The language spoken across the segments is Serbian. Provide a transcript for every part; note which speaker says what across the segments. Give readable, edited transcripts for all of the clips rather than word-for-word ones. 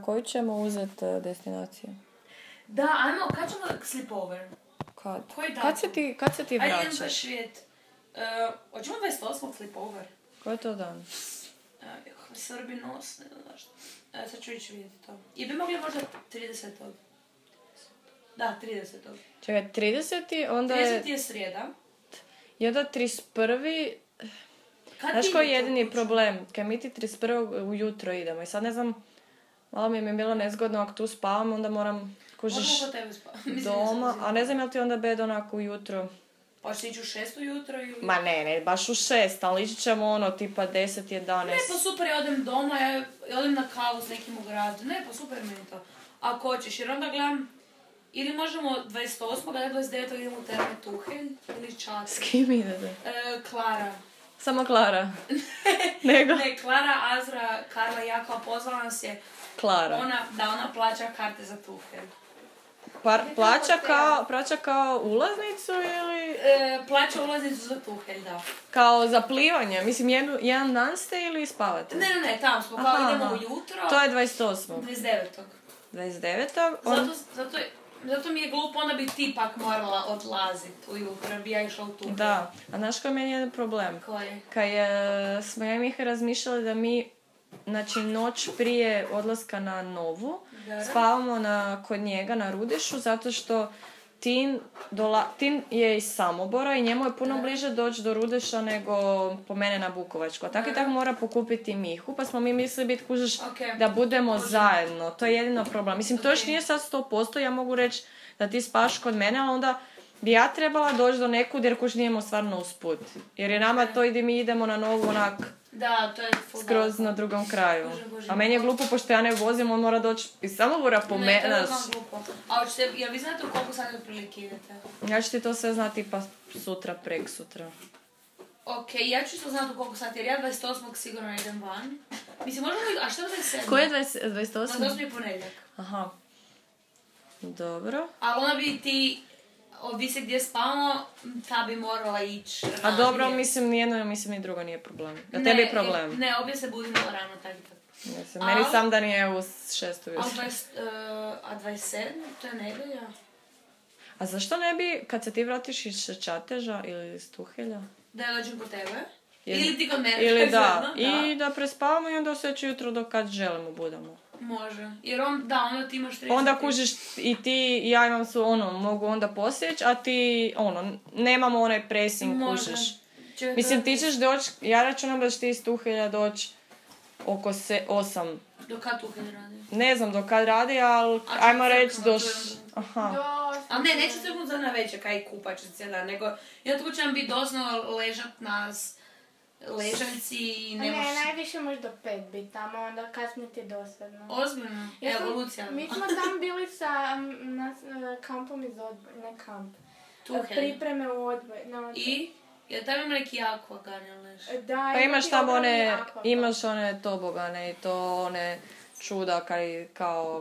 Speaker 1: koju ćemo uzeti destinaciju?
Speaker 2: Da, ajmo, kad ćemo sleepover?
Speaker 1: Kad?
Speaker 2: Koji datum?
Speaker 1: Kad se ti vraćaš?
Speaker 2: Ajde, idem za Švijet. Hoćemo 28. sleepover?
Speaker 1: Koji je to dan?
Speaker 2: Srbi nos, ne znam zašto. Sad ću ići vidjeti to. I bi mogli možda 30. Da, 30.
Speaker 1: Čekaj, 30. onda je...
Speaker 2: 30. je srijeda.
Speaker 1: I onda 31. Znaš koji je jedini problem? Kad mi ti 31. ujutro idemo i sad ne znam, malo mi je bilo nezgodno ako tu spavam, onda moram kužiš doma, a ne znam je li ti onda bed onako ujutro.
Speaker 2: Pa ćeš ići u 6 ujutro ili...
Speaker 1: Ma ne, baš u 6, ali ići ćemo tipa 10, 11.
Speaker 2: Ne, pa super, ja odem doma, ja odem na kavu s nekim u gradu. Ne, pa super mi je to. Ako hoćeš, jer onda gledam, ili možemo 28. da 29. idemo u Terme Tuhelj, ili Čater.
Speaker 1: S kim idete?
Speaker 2: Klara.
Speaker 1: Samo Klara? Nego?
Speaker 2: Ne, Klara, Azra, Karla i Jakova pozvala nas je.
Speaker 1: Klara.
Speaker 2: Ona plaća karte za Tuhelj.
Speaker 1: Plaća kao ulaznicu ili...
Speaker 2: Plaća ulaznicu za Tuhelj, da.
Speaker 1: Kao za plivanje? Mislim, jedan dan ste ili spavate?
Speaker 2: Ne, tamo smo, kao idemo ujutro.
Speaker 1: To je 28.
Speaker 2: 29.
Speaker 1: 29.
Speaker 2: Zato mi je glupo, onda bi ti pak morala odlaziti ujutro, bi ja išla u Tuhelj.
Speaker 1: Da, a znaš koji meni je jedan problem?
Speaker 2: Koji?
Speaker 1: Kad smo ja i Miha razmišljali da mi, znači noć prije odlaska na Novu, spavamo kod njega na Rudešu, zato što Tin je iz Samobora i njemu je puno bliže doći do Rudeša nego po mene na Bukovačku. A tako i tako mora pokupiti Mihu, pa smo mi mislili biti kužiš da budemo zajedno. To je jedino problem. Mislim, to još nije sad 100%, ja mogu reći da ti spaš kod mene, ali onda bi ja trebala doći do nekud jer kuž nijemo stvarno usput. Jer je nama to i mi idemo na Novu onak...
Speaker 2: Da, to je
Speaker 1: skroz na drugom kraju. A meni je glupo, pošto ja ne vozim, on mora doći iz Samobora po mene.
Speaker 2: Ne, to je znam glupo. A jel vi znate u koliko sati otprilike idete?
Speaker 1: Ja ću ti to sve znati pa sutra, prek sutra.
Speaker 2: Ok, ja ću to znati u koliko sati, jer ja 28. sigurno idem van. Mislim, možemo i... A što je 27?
Speaker 1: Koji je 28?
Speaker 2: 28. je ponedjeljak.
Speaker 1: Aha. Dobro.
Speaker 2: Ali ona bi ti... Ovisi gdje spavamo, ta bi morala ići ranije.
Speaker 1: A dobro, mislim, nijedno, mislim, ni drugo nije problem. Da tebi je problem.
Speaker 2: Ne, obje se budimo rano, tako i tako.
Speaker 1: Meni sam da nije u 6 ujutro.
Speaker 2: A 27. to je nedjelja.
Speaker 1: A zašto ne bi, kad se ti vratiš iz Čateža ili iz Tuhelja?
Speaker 2: Da ja dođem po tebe? Ili ti kod mene?
Speaker 1: Ili da. I da prespavamo i onda sljedeće jutro dok kad želimo budemo.
Speaker 2: Može. Jer onda ti imaš 30...
Speaker 1: Onda kužiš i ti i ja imam mogu onda posjeći, a ti, nemamo onaj pressing, kužiš. Mislim, ti ćeš doći, ja računam da ćeš ti iz Tuhelja doći oko 8.
Speaker 2: Do kad Tuhelj radi?
Speaker 1: Ne znam do kad radi, ali ajmo reći do...
Speaker 2: Aha. Ali ne, neće se za na večer kaj kupač cijel dan, nego tako će nam biti doslovno ležat nas ležaljci i
Speaker 3: ne najviše može do 5 biti tamo, onda kasnije ti je dosadno.
Speaker 2: Ozbiljno? Evolucija.
Speaker 3: Mi smo tam bili sa kampom iz odbora, ne kamp. Pripreme u odbor.
Speaker 2: I? Jel tam ima neki akvagan, leš?
Speaker 3: Da,
Speaker 1: pa imaš one tobogane i to one čuda kao...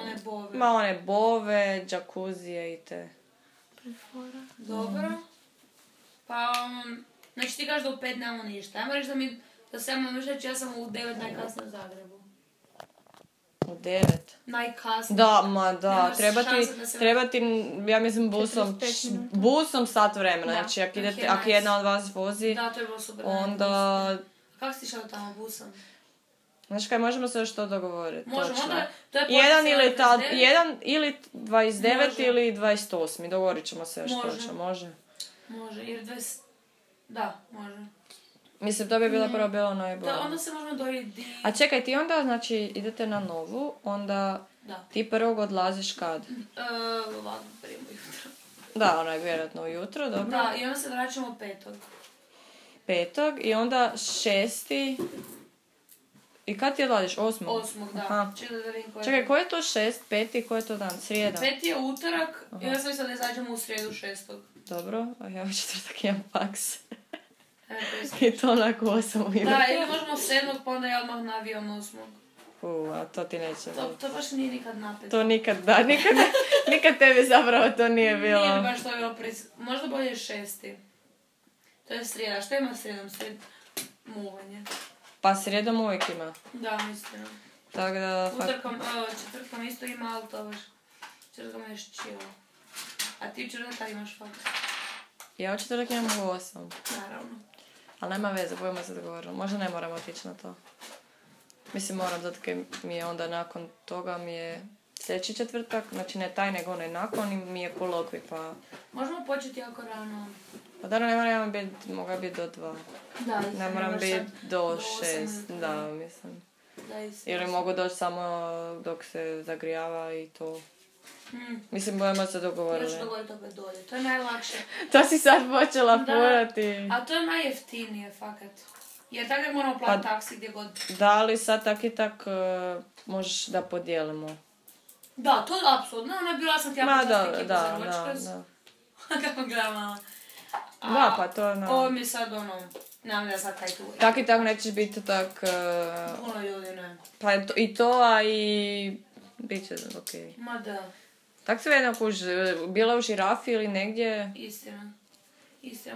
Speaker 2: one bove.
Speaker 1: Ma one bove, džakuzije i te.
Speaker 2: Dobro. Pa znači ti kažeš da u 5 nemamo ništa. Ajmo reći da se ja reći, ja sam u 9 najkasnije u Zagrebu.
Speaker 1: U 9?
Speaker 2: Najkasnije.
Speaker 1: Da, treba ti, ja mislim, busom sat vremena. Da, znači, ako jedna od vas vozi,
Speaker 2: da, to je bilo super.
Speaker 1: Onda...
Speaker 2: Kako si išao tamo busom?
Speaker 1: Znaš kaj, možemo se još to dogovoriti.
Speaker 2: Možemo, onda to je
Speaker 1: jedan ili 29 može. Ili 28. Dogovorit ćemo se još točno, može?
Speaker 2: Može, jer 20... Da, može.
Speaker 1: Mislim, to bi bilo najbolje.
Speaker 2: Da, onda se možemo dojeti...
Speaker 1: A čekaj, ti onda, znači, idete na Novu, onda ti prvog odlaziš kad?
Speaker 2: Ovako, prije ujutro.
Speaker 1: Da, vjerojatno ujutro, dobro.
Speaker 2: Da, i onda se vraćamo 5.
Speaker 1: I onda 6. I kad ti odlaziš? 8.
Speaker 2: 8, da.
Speaker 1: Čekaj, ko je to 6, 5, ko je to dan? Srijeda?
Speaker 2: 5 je utorak i onda sam mislila da izađemo u srijedu 6.
Speaker 1: Dobro, a ja u četvrtak imam faks. I to onako 8 ujutro.
Speaker 2: Da, ili možemo 7, pa onda ja odmah na avion 8.
Speaker 1: A to ti neće.
Speaker 2: To baš nije nikad napet.
Speaker 1: To nikad tebi zapravo to nije bilo.
Speaker 2: Nije baš to bilo možda bolje 6. To je srijeda. Što ima srijedom? Muvanje.
Speaker 1: Pa srijedom uvijek ima.
Speaker 2: Da, mislim.
Speaker 1: Tako da...
Speaker 2: Četvrtkom isto ima, ali to baš... Četvrtkom je još chill. A ti četvrtak imaš fakt?
Speaker 1: Ja u četvrtak imam u 8.
Speaker 2: Naravno.
Speaker 1: Ali nema veze, budemo se dogovoriti. Možda ne moramo otići na to. Mislim, moram, zato kaj mi je onda nakon toga mi je sljedeći četvrtak, znači ne taj nego onaj nakon i mi je kolokvi, pa...
Speaker 2: Možemo početi jako rano.
Speaker 1: Pa da, ne moram biti, mogu biti do 2.
Speaker 2: Da,
Speaker 1: ne moram biti do 6, da, mislim. Ili mogu doći samo dok se zagrijava i to. Mislim, budemo se dogovorili.
Speaker 2: Još dogovoriti opet dolje, to je najlakše.
Speaker 1: To si sad počela furati.
Speaker 2: A to je najjeftinije, fakat. Jer tako moramo platiti taksi gdje god.
Speaker 1: Da, ali sad tak i tak možeš da podijelimo.
Speaker 2: Da, to je apsolutno. Ona je bila sam ti jako čast ekipa za ročkaz.
Speaker 1: Da.
Speaker 2: Kako gledala.
Speaker 1: Da, pa to je
Speaker 2: ovo mi je sad nemam da sad kaj tu.
Speaker 1: Tak i tak nećeš biti tak...
Speaker 2: Puno ljudi, ne.
Speaker 1: Pa i to, a i... Biće okej.
Speaker 2: Ma da.
Speaker 1: Tak se vedno bila u žirafi ili negdje...
Speaker 2: Istina,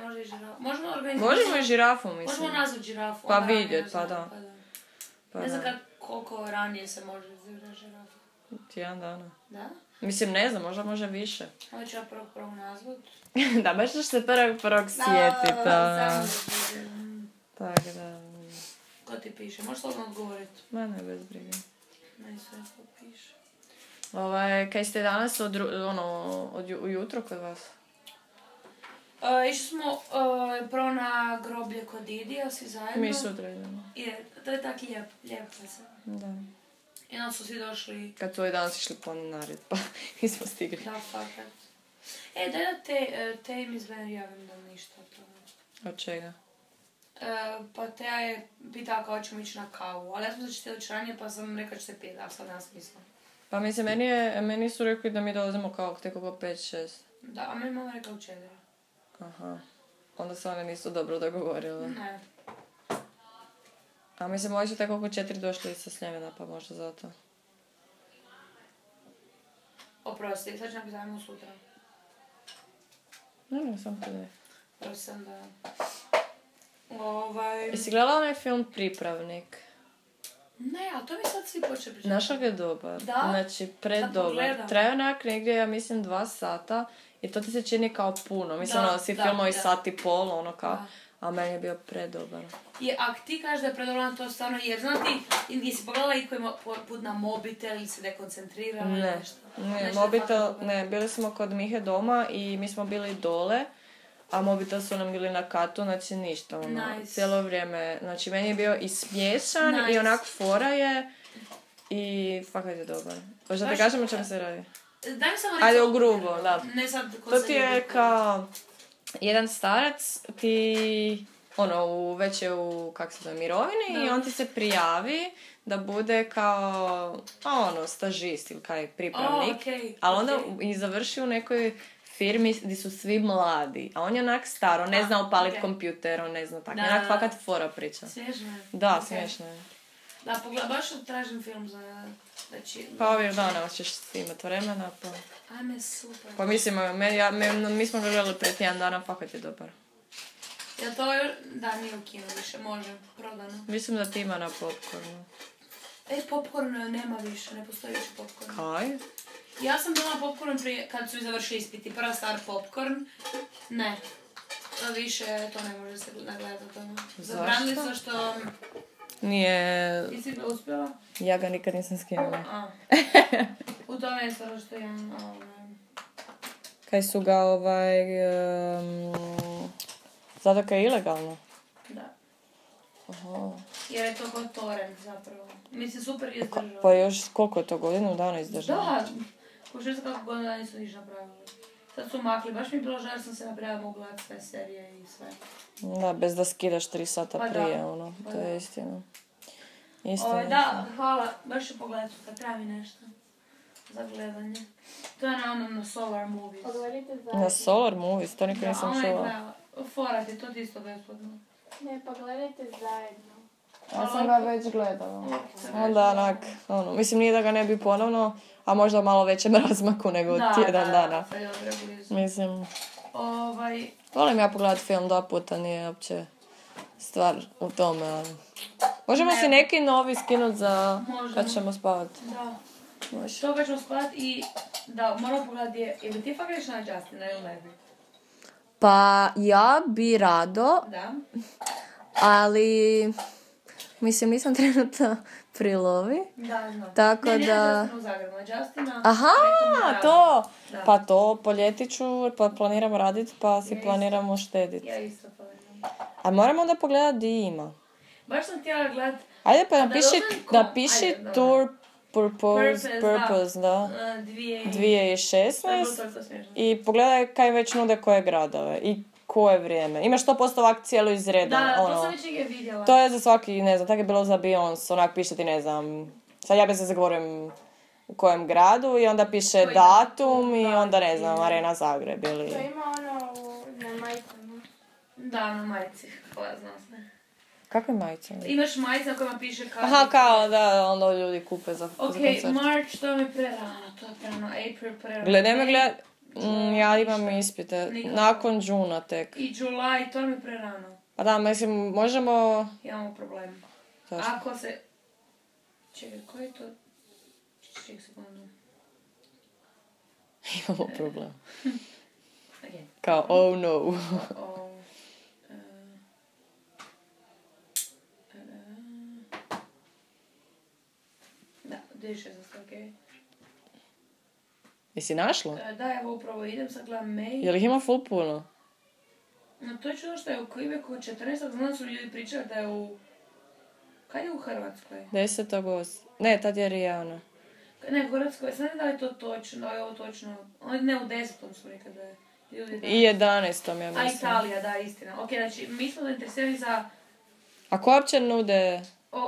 Speaker 2: možda i žirafu. Možemo
Speaker 1: i žirafu, mislim.
Speaker 2: Možemo nazvat žirafu.
Speaker 1: Pa vidjet, pa da.
Speaker 2: Ne znam koliko ranije se može izagrati žirafu.
Speaker 1: Tjedan dana.
Speaker 2: Da?
Speaker 1: Mislim, ne znam, možda može više.
Speaker 2: Ovo ću ja prvog nazvat.
Speaker 1: Da, baš ćeš se prvog sjetit. Tako da...
Speaker 2: Ko ti piše? Možeš slobodno odgovoriti?
Speaker 1: Ma ne, bez brige.
Speaker 2: Ne, sve što piše.
Speaker 1: Kaj ste danas ujutro kod vas?
Speaker 2: Išli smo prvo na groblje kod Didija, svi zajedno.
Speaker 1: Mi sutra idemo.
Speaker 2: To je tak lijepo se.
Speaker 1: Da.
Speaker 2: I onda su svi došli...
Speaker 1: Kad su danas išli planinarit, pa nismo stigli.
Speaker 2: Da, fakat. Daj da te im javim da ništa to.
Speaker 1: Od čega?
Speaker 2: Pa Teja je pitala kao ćemo ići na kavu, ali ja sam da ćete doći ranije pa sam rekao ćete piti, ali sad nema smisla.
Speaker 1: Pa mislim, meni su rekli da mi dolazimo kao tek oko 5-6.
Speaker 2: Da, a meni mama rekla u 4.
Speaker 1: Aha. Onda se one nisu dobro dogovorile.
Speaker 2: Ne.
Speaker 1: A mislim, ovi su tek oko 4 došli sa Sljemena, pa možda zato.
Speaker 2: Oprosti, sad ću nam pitavimo sutra.
Speaker 1: Ne, sam to ne.
Speaker 2: Prosti sam da...
Speaker 1: Jesi gledala onaj film Pripravnik?
Speaker 2: Ne, a to mi sad svi počeli pričati.
Speaker 1: Znaš kako je dobar?
Speaker 2: Da?
Speaker 1: Znači, predobar. Traje onak negdje, ja mislim, 2 sata i to ti se čini kao puno. Mislim, svi filmovi sat i pol, a meni je bio predobar.
Speaker 2: A ti kažeš da je predobar to stvarno, jer znam ti, jesi pogledala i koji ima put na mobitel ili se dekoncentrirala ili nešto?
Speaker 1: Ne, mobitel, ne, bili smo kod Mihe doma i mi smo bili dole. A mobitel su nam bili na katu, znači ništa, cijelo vrijeme. Znači, meni je bio i smiješan i onak fora je i fakat je dobar. Možda te kažem o čemu se radi?
Speaker 2: Daj mi samo
Speaker 1: ajde, u grubo, da.
Speaker 2: Ne sad
Speaker 1: to ti je kao jedan starac, ti, već je u, mirovini i on ti se prijavi da bude kao, stažist ili kaj pripravnik. Ali onda i završi u nekoj firmi gdje su svi mladi, a on je onak staro, ne zna upaliti kompjuter, on ne zna tako, onak fakat fora priča.
Speaker 2: Smiješno je.
Speaker 1: Da, smiješno je.
Speaker 2: Da, baš tražim film za...
Speaker 1: Pa ovih dana hoćeš imati vremena, pa...
Speaker 2: Ajme, super.
Speaker 1: Pa mislim, mi smo ga gledali prije tjedan dana, fakat je dobar.
Speaker 2: Ja to da, nije u kinu više, može, prodano.
Speaker 1: Mislim da ti ima na popcornu.
Speaker 2: Popcorn nema više, ne postoji više popcorn.
Speaker 1: Kaj?
Speaker 2: Ja sam bila popcorn prije, kad su mi završili ispiti. Prva stvar popcorn. Ne. To više, to ne može se nagledati o tome. Zabranili su što...
Speaker 1: Nije...
Speaker 2: Nisi ga uspjela?
Speaker 1: Ja ga nikad nisam skinula.
Speaker 2: U tome je stvar što ja...
Speaker 1: Kaj su ga zato kaj je ilegalno?
Speaker 2: Da.
Speaker 1: Aha.
Speaker 2: Jer je to kod torrent zapravo. Mislim, super izdržao.
Speaker 1: Pa još koliko je to godinu dana izdržao?
Speaker 2: Da. Po 6 kako godinu dana nisu ništa napravili. Sad su makli. Baš mi je bilo žar sam se napravila mogu gledati sve serije i sve.
Speaker 1: Da, bez da skidaš 3 sata prije, to je istina.
Speaker 2: Da, hvala. Baš ću pogledati kad treba mi nešto za gledanje. To je na Solar Movies.
Speaker 1: Na Solar Movies? To nikad nisam čula.
Speaker 2: Fora ti, to ti isto besplatno.
Speaker 3: Ne, pa gledajte zajedno.
Speaker 1: Ja sam ga već gledala. Onda onak, mislim nije da ga ne bi ponovno, a možda malo većem razmaku nego tjedan dana. Mislim, volim ja pogledati film 2 puta, nije uopće stvar u tome, ali... Možemo si neki novi skinuti za
Speaker 2: Možemo.
Speaker 1: kad ćemo spavati.
Speaker 2: Da.
Speaker 1: Može.
Speaker 2: To kad ćemo spavati i da, moramo pogledati ili ti fakt greš na Justina ili ne bi?
Speaker 1: Pa ja bi rado,
Speaker 2: Da.
Speaker 1: ali mislim nisam trenutno pri lovi.
Speaker 2: Da, znam.
Speaker 1: Tako
Speaker 2: ne,
Speaker 1: da...
Speaker 2: Ne, Justina u Zagrebu, na Justina...
Speaker 1: Aha,
Speaker 2: preko
Speaker 1: to!
Speaker 2: Da.
Speaker 1: Pa to po ljeti ću, pa planiramo raditi, pa si
Speaker 2: Ja
Speaker 1: planiramo štediti.
Speaker 2: Ja isto planiram.
Speaker 1: A moramo onda pogledati di ima.
Speaker 2: Baš sam htjela gledat...
Speaker 1: Ajde pa
Speaker 2: A da
Speaker 1: napiši
Speaker 2: ajde, dobro.
Speaker 1: Tour Purpose, da. 2016
Speaker 2: To je smiješno.
Speaker 1: i pogledaj kaj već nude koje gradove i koje vrijeme. Imaš 100% ovak cijelo izredano.
Speaker 2: Da, to
Speaker 1: ono.
Speaker 2: sam već negdje vidjela.
Speaker 1: To je za svaki, ne znam, tako je bilo za Beyoncé, onak piše ti, ne znam, sad ja bi se zagovorim u kojem gradu i onda piše
Speaker 2: Koji
Speaker 1: datum i
Speaker 2: da,
Speaker 1: onda, ne znam,
Speaker 2: i-
Speaker 1: Arena Zagreb ili...
Speaker 3: To ima ono na majicama.
Speaker 2: Da, na majici. Koja zna se.
Speaker 1: Kakve majice?
Speaker 2: Imaš majice na kojima piše kada...
Speaker 1: Aha, kao da onda ljudi kupe za
Speaker 2: Ok,
Speaker 1: koncert.
Speaker 2: March, to mi je prerano, to je prerano, April prerano.
Speaker 1: Gledaj me
Speaker 2: May,
Speaker 1: gledat, ja imam
Speaker 2: ništa.
Speaker 1: ispite,
Speaker 2: Nikako.
Speaker 1: nakon Džuna tek.
Speaker 2: I July, to mi je prerano.
Speaker 1: Pa da, mislim, možemo...
Speaker 2: Imamo problem.
Speaker 1: Zašto?
Speaker 2: Ako se... Čekaj, koji je to... Čekaj sekundu.
Speaker 1: Imamo problem.
Speaker 2: Ok.
Speaker 1: Kao, oh no.
Speaker 2: O, da, 2016, ok.
Speaker 1: Jesi našla?
Speaker 2: Da, evo upravo idem, sad gledam May.
Speaker 1: Je li ih ima full puno?
Speaker 2: No to je čudo što je u Quebecu 14. Znam da su ljudi pričali da je u... Kad je u Hrvatskoj?
Speaker 1: 10. Ne, tad je Rijana.
Speaker 2: Ne, u Hrvatskoj, sad ne znam da li je to točno, da je ovo točno. Ne, u 10. su rekli da je ljudi da...
Speaker 1: I 11. ja
Speaker 2: A
Speaker 1: mislim.
Speaker 2: Italija, da, istina. Ok, znači, mi smo zainteresirani za...
Speaker 1: A ko uopće nude?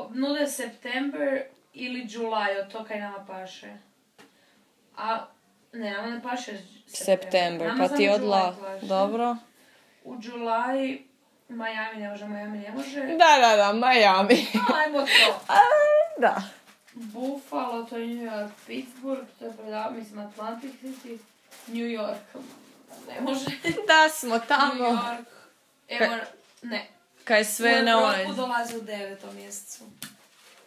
Speaker 2: Nude September ili July, od to kaj nama paše. A, ne, nama ne paše
Speaker 1: September,
Speaker 2: Nama
Speaker 1: pa ti
Speaker 2: samo
Speaker 1: odla...
Speaker 2: July paše.
Speaker 1: Dobro.
Speaker 2: U July, Miami ne može.
Speaker 1: Da, Miami.
Speaker 2: Ajmo to.
Speaker 1: Da.
Speaker 2: Buffalo, to je New York, Pittsburgh, to je mislim Atlantic City, New York, ne može.
Speaker 1: Da smo
Speaker 2: New
Speaker 1: tamo.
Speaker 2: York, evo, ne.
Speaker 1: Kaj sve na
Speaker 2: U
Speaker 1: onaj.
Speaker 2: Europu dolazi u 9. mjesecu.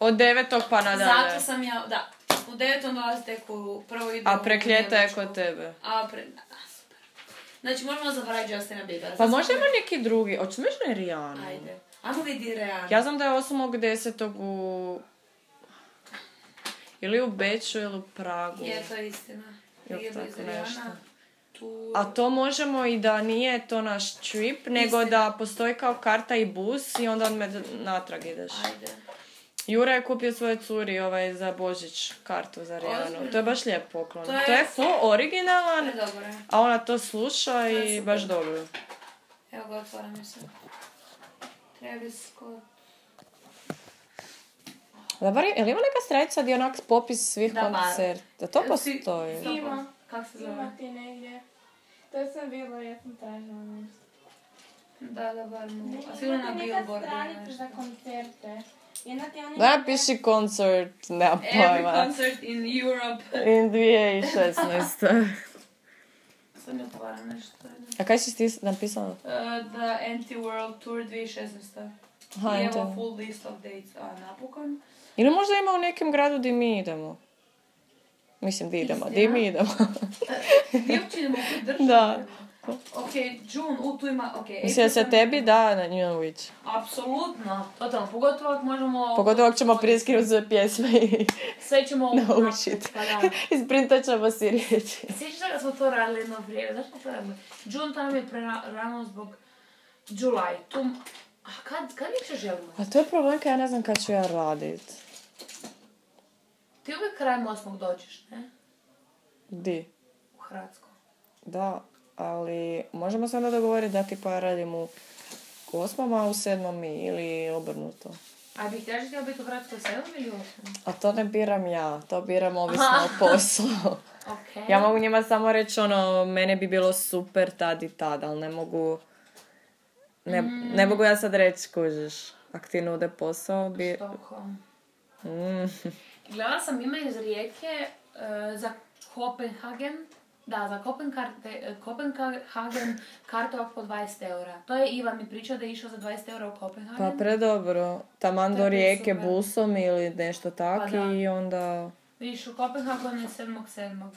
Speaker 1: Od 9. pa nadalje.
Speaker 2: Zato sam ja, da, u 9. dolazi tek u prvo ide
Speaker 1: A
Speaker 2: u
Speaker 1: prek ljeta je
Speaker 2: Njemačku.
Speaker 1: kod tebe.
Speaker 2: Da, super. Znači, možemo zaboraviti Justina Biebera.
Speaker 1: Pa
Speaker 2: Sad
Speaker 1: možda
Speaker 2: smo-
Speaker 1: ima neki drugi. Hoćeš možda i Rijanu?
Speaker 2: Ajde. Ajmo vidi Rihanna.
Speaker 1: Ja znam da je 8.10. u... Ili u Beču ili u Pragu.
Speaker 2: Je, to je istina.
Speaker 1: Jel
Speaker 2: Prije
Speaker 1: tako
Speaker 2: blizu
Speaker 1: nešto?
Speaker 2: Rihanna. Tu...
Speaker 1: A to možemo i da nije to naš trip, nego
Speaker 2: Istina.
Speaker 1: da postoji kao karta i bus i onda natrag ideš.
Speaker 2: Ajde.
Speaker 1: Jura je kupio svoje curi za Božić kartu za Rijanu.
Speaker 2: Ozbiljno?
Speaker 1: To je baš lijep poklon.
Speaker 2: To je-
Speaker 1: To je full originalan,
Speaker 2: Dobro je.
Speaker 1: a ona to sluša
Speaker 2: To je
Speaker 1: i
Speaker 2: super.
Speaker 1: baš dobro.
Speaker 2: Evo ga, otvaram se. Travis Scott.
Speaker 1: Da, bar, je li ima neka stranica gdje onak popis svih
Speaker 2: Da, bar.
Speaker 1: koncerta? To
Speaker 2: Jel si-
Speaker 1: postoji.
Speaker 2: Stop.
Speaker 3: Ima.
Speaker 2: Kak se zove?
Speaker 3: Ima ti negdje. To sam bila, ja sam tražila nešto.
Speaker 2: Da, bar mu.
Speaker 3: Ne,
Speaker 2: A sigurno na
Speaker 3: ima ti neka
Speaker 2: Billboardu ili
Speaker 3: stranica
Speaker 2: nešto.
Speaker 3: za koncerte. Jedna ti oni...
Speaker 1: Da, piši koncert, nema
Speaker 2: Every
Speaker 1: pojma.
Speaker 2: concert in Europe.
Speaker 1: In 2016.
Speaker 2: Sad mi otvaram nešto.
Speaker 1: A kaj si ti napisala?
Speaker 2: The Anti-World Tour 2016.
Speaker 1: Aha,
Speaker 2: I evo
Speaker 1: Anti-
Speaker 2: full list of dates. A, napokon.
Speaker 1: Ili možda ima u nekem gradu di mi idemo. Mislim, di idemo, di mi idemo.
Speaker 2: Gdje uopće idemo u državu?
Speaker 1: Da.
Speaker 2: Ok, June, tu ima, ok.
Speaker 1: Mislim da se tebi da na New Witch.
Speaker 2: Apsolutno. Totalno, pogotovo ako možemo...
Speaker 1: Pogotovo ako ćemo prije skinuti sve pjesme i
Speaker 2: Sve ćemo
Speaker 1: naučiti.
Speaker 2: Pa da.
Speaker 1: Isprintat ćemo si riječi.
Speaker 2: Sjećaš da smo to radili jedno vrijeme? Zašto smo to radili? June to nam je prerano zbog July. Tu... A kad više želimo?
Speaker 1: A to je problem kad ja ne znam kad ću ja radit.
Speaker 2: Ti uvijek krajem 8. dođeš, ne?
Speaker 1: Di?
Speaker 2: U Hrvatsku.
Speaker 1: Da, ali možemo se onda dogovoriti da tipa ja radim u 8. a u 7. mi ili obrnuto.
Speaker 2: A bih htjela htjela biti u Hrvatskoj 7. ili 8?
Speaker 1: A to ne biram ja, to biram ovisno o poslu.
Speaker 2: Ok.
Speaker 1: Ja mogu njima samo reći mene bi bilo super tad i tad, ali ne mogu... Ne mogu ja sad reći, kužiš, ako ti nude posao bi...
Speaker 2: Stockholm.
Speaker 1: Mm.
Speaker 2: Gledala sam ime iz Rijeke za Kopenhagen Da, za Kopenhagen karta po 20 eura. To je Ivan mi pričao da je išao za 20 eura u Kopenhagen.
Speaker 1: Pa predobro. Taman do Rijeke busom ili nešto tako i onda...
Speaker 2: Vidiš, u Kopenhagenu je 7.7.